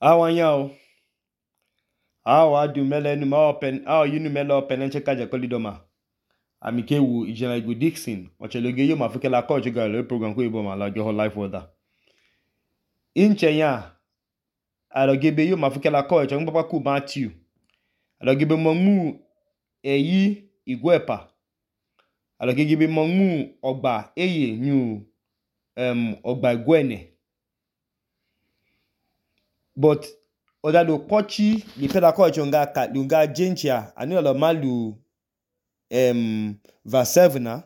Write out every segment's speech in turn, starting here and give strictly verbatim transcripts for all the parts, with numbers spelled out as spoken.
Awanyao. Awa adu mele nu ma open, awa yinu mele open enche kaje kolidoma. Amikewu ijena igu Dixon. Ocheloge yo mafike la coach ga le program ko ibo ma la ge whole life order. Inche ya alogebe yo mafike la coach ngba pa ku Matthew. Alogebe monmu eyi igwepa. Alogebe monmu ogba eye new um ogba igwene. But odado kochi li peda coach nga ka lunga jenchia anu alo malu um verse seven na.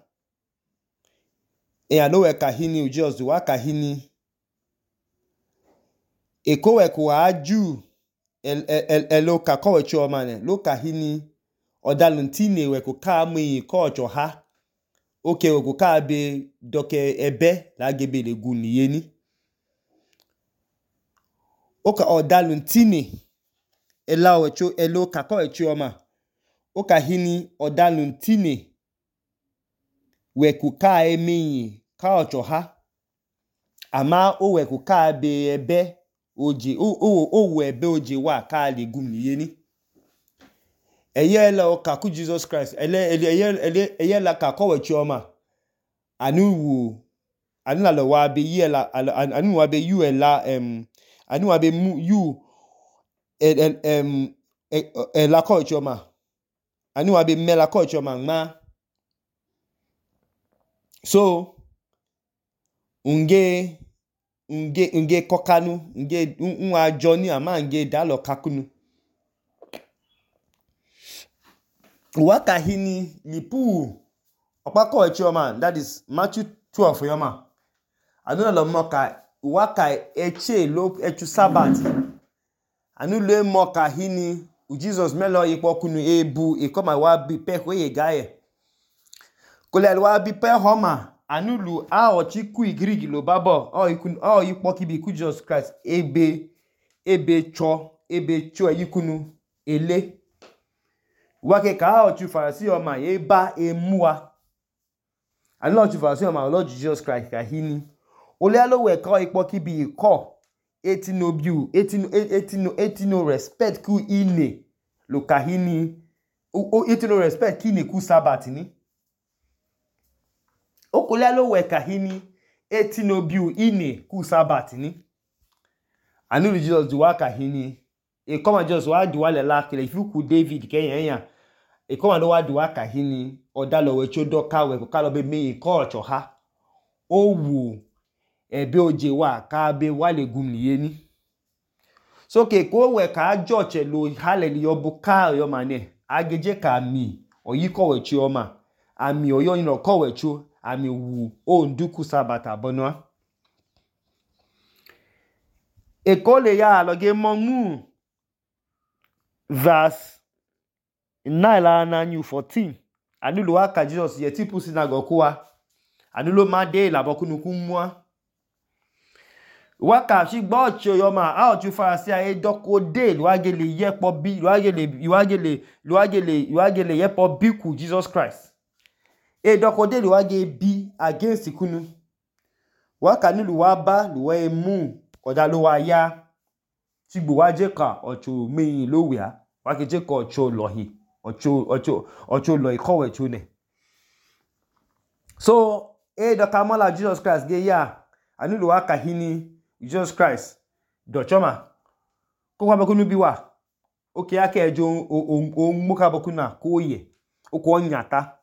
E alowe kahini ujos wa kahini. Ekowe kwa aju el el elo ka kowe cho mane lo kahini odaluntine we ko ka mu coach ha. Oke we ko ka be doke ebe la gebe le guni yeni. Oka odaluntine ela wecho elo ka kowe cho ma. Oka hini odaluntine we ko ka emi coach ha. Ama o we ko ka be ebe oje o o o we ebe oje wa ka le gumi yeni. Eye la o ka ku Jesus Christ ele ele ele eye la ka kowe chioma anu wu anu la lo wa be ye la anu wa be you ela em anu wa be mu you el em e la kowe chioma anu wa be me la kowe chioma ma. So unge unge unge kokanu unge unwa Johnny ama unge dalo kakunu. Waka hini lipu opako echioma, that is Matthew twelve yoma. Anu lo moka waka eche lo echu Sabbath. Anu le moka hini u Jesus melo ipo kunu ebu e koma wa bi pe ko ye gaye. Kole wa bi pe homa anu lu a ochi ku igrigi lo babo o ikun o ipo ki bi ku Jesus Christ ebe ebe cho ebe cho yikunu ele. Wake ka ochu farasi oma ye ba emua. Anu ochu farasi oma Lord Jesus Christ ka hini. Ole alo we ka ipo ki bi ko etino biu etino etino etino respect ku ine lo ka hini o etino respect ki ne ku Sabbath ni. Okole alo we ka hini etino biu ine ku Sabbath ni. Anu Jesus duwa ka hini. E koma Jesus wa duwa le la kele ifu ku David ke yen yan. E koma lo wa duwa ka hini odalo we chodo ka we ko ka lo be mi culture ha. O wu ebe oje wa ka be wale gumni yeni. So ke ko we ka joche lo hallelujah bu ka yo mane ageje ka mi oyi ko we chi oma ami oyo yin ko we chu ami wu o nduku Sabbath abonwa. E ko le ya lo ge monmu verse nine la na new fourteen. Anu lo aka Jesus ye tipu synagogue kwa. Anu lo ma de la bokunu kumwa. Waka shi gbo cho yo ma a oju farasi a e doko de lo agele yepo bi lo agele lo agele lo agele lo agele yepo bi ku Jesus Christ. E doko de lo age bi against kunu. Waka ni lo wa ba lo we mu oda lo wa ya. Tigbo wa je ka ocho meyin lo we a. Wake je ko ocho lohi. Ocho ocho ocho lo ikowe chune. So e doka mola Jesus Christ ge ya anu lo aka hini Jesus Christ do choma ko kwa bokunu biwa oke ake ejo o muka bokuna ko ye o ko nyata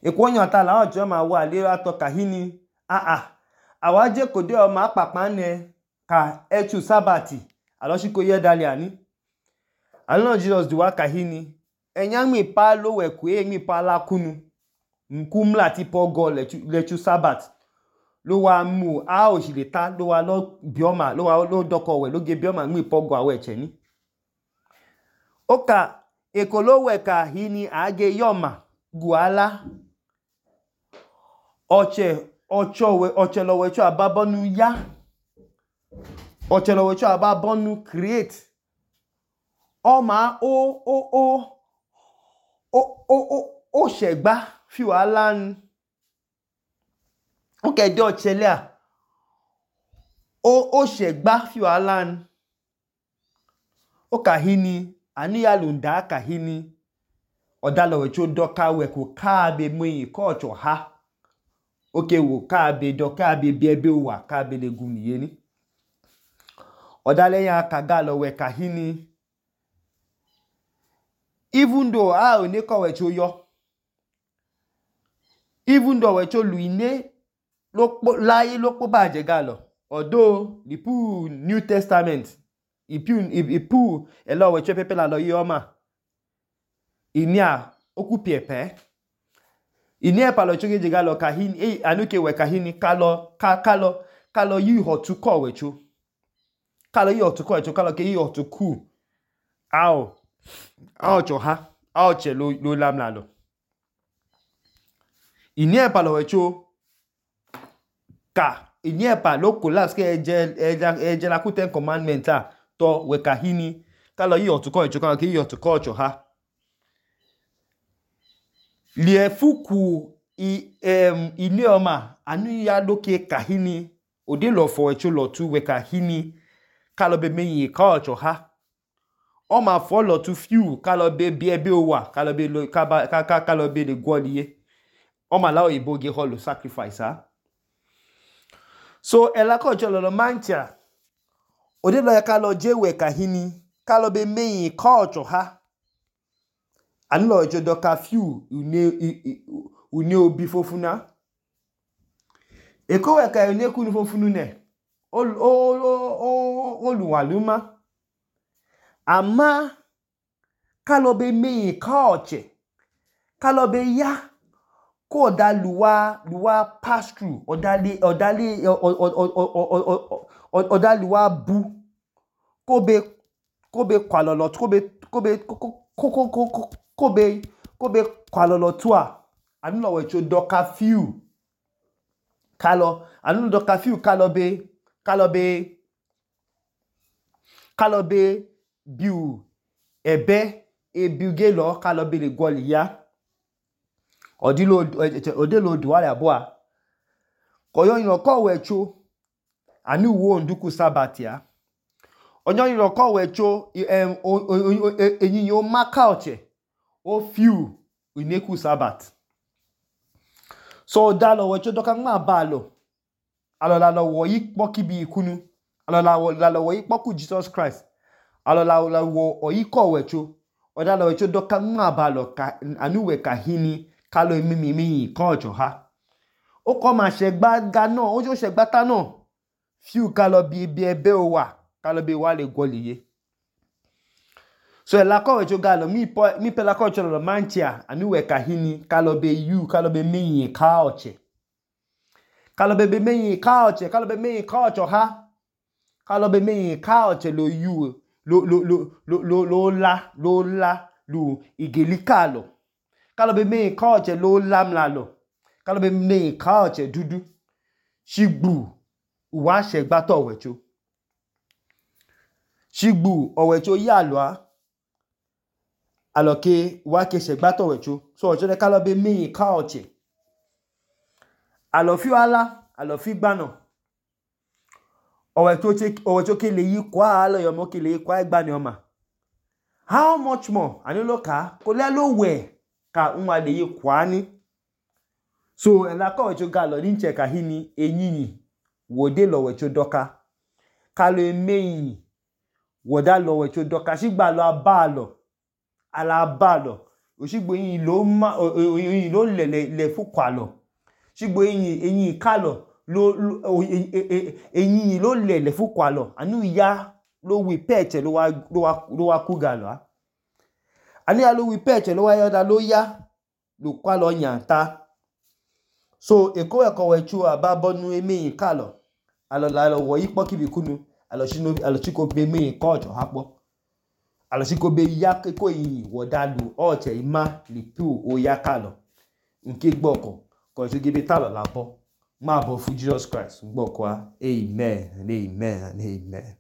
e ko nyata la ojo ma wa le ato kahini a a awaje ko de o ma papa ne ka echu Sabbath alo shi ko ye dali ani. Anu Jesus duwa kahini enya mi pa lo we ku e mi pa la kunu nkumla ti pogo lechu lechu Sabbath lo wa mu a o si le ta lo wa lo bioma lo wa lo doko we lo ge bioma mi pogo awe che ni. Oka ekolo we ka hini age yoma guala oche ocho we oche lo we cho ababonu ya oche lo we cho ababonu create o ma o o o o o o o segba fi wala n o ke do chele a o o segba fi wala n okahini anu ya lunda kahini odalo wecho doka weko kabe mui kocho ha oke wo kabe doka be biebe wa kabe le guniye ni odale ya kagalo we kahini even though a one ko wecho yo even though wecho luine lokpo lai lokpo baje galo although the pu New Testament ipu ipu elo wecho pepe la lo yoma inia okupiepe inia pa lo choge galo kahini e anuke we kahini kalo ka kalo kalo yi hotu ko wecho kalo yi hotu ko wecho kalo ke yi hotu ku ao ao cho ha ao che lo lo lam la lo inia pa lo wecho ka inia pa lo collapse ke eje eje la ku ten commandment a to we kahini kalo yi hotu ko wecho kalo ke yi hotu ko cho ha liefuku i em inioma anu ya doke kahini ode lo fo wecho lo tu we kahini kalo be meyi ka cho ha o ma fo lo tu few kalo be biebe wa kalo be lo ka ka kalo be le gwoliye o ma la oyibo ge holo sacrifice ha so ela ko cho lo mancha ode lo ya kalo je we kahini kalo be meyi ka cho ha anu lo jo doka few une une obi fofuna eko we ka une kunu fofunu ne o o oluwaluma ama kalo be meyi ka oche kalo be ya ko da luwa luwa pass through odali odali odaliwa bu ko be ko be kwalolo ko be ko be ko ko kobe kobe kwalolo tua anu lo wecho doka few kalo anu doka few kalo be kalo be kalo be biu ebe ebiuge lo kalo be le goli ya odilo odelo duwale aboa koyo yin ko wecho anu wo nduku sabatia onyo yin ko wecho em eyin yo maka oche o few ineku sabat so dalo wecho doka ma balo alola lo wo yi poki bi ikunu alola la lo wo yi poku Jesus Christ alola la wo oyi ko wecho odalo wecho doka ma balo ka anu we kahini kalo mimi mi ko ojo ha o ko ma se gba ga na o jo se gba ta na few kalo bi bi ebe o wa kalo be wa le goliye so ela ko wecho galo mi po mi pela ko cholo manchia anu we kahini kalo be you kalo be meyi ka oche kalo be be meyi ka oche kalo be meyi ka ocho ha kalo be meyi ka oche lo you lo lo lo lo lo la lo la lu igelikalo kalo be meyi ka oche lo lam la lo kalo be meyi ka oche dudu shigbu uwa se gba to wecho shigbu owecho ya lo a aloke wa ke se gba to wecho so ojo de kalo be meyi ka oche alofi ala alofi gbana owecho che owecho ke le yi kwa alo yo mo ke le yi kwa igba ni oma how much more ani lo ka ko le lo we ka nwa le yi kwa ni so ela ko wecho galo ni nche ka hini enyinyi wode lo wecho doka kalo emeyi woda lo wecho doka sigba lo abalo alabalo osigbo yin lo ma yin lo le le fu kwalo sigbo yin eyin kalo lo eyin lo le le fu kwalo anu ya lo wi peche lo wa lo wa lo wa ku galo ani ya lo wi peche lo wa yoda lo ya lo kwalo nyanta so eko eko wechu ababonu emeyin kalo alola lo wo yipo kibikunu alo shino alo chiko be meyin ko ojo hapo alosiko be ya ko yin wodalu oche ima lipu o ya kalo nke gboko ko se gebe talo labo ma bo fu Jesus Christ gboko a amen and amen and amen.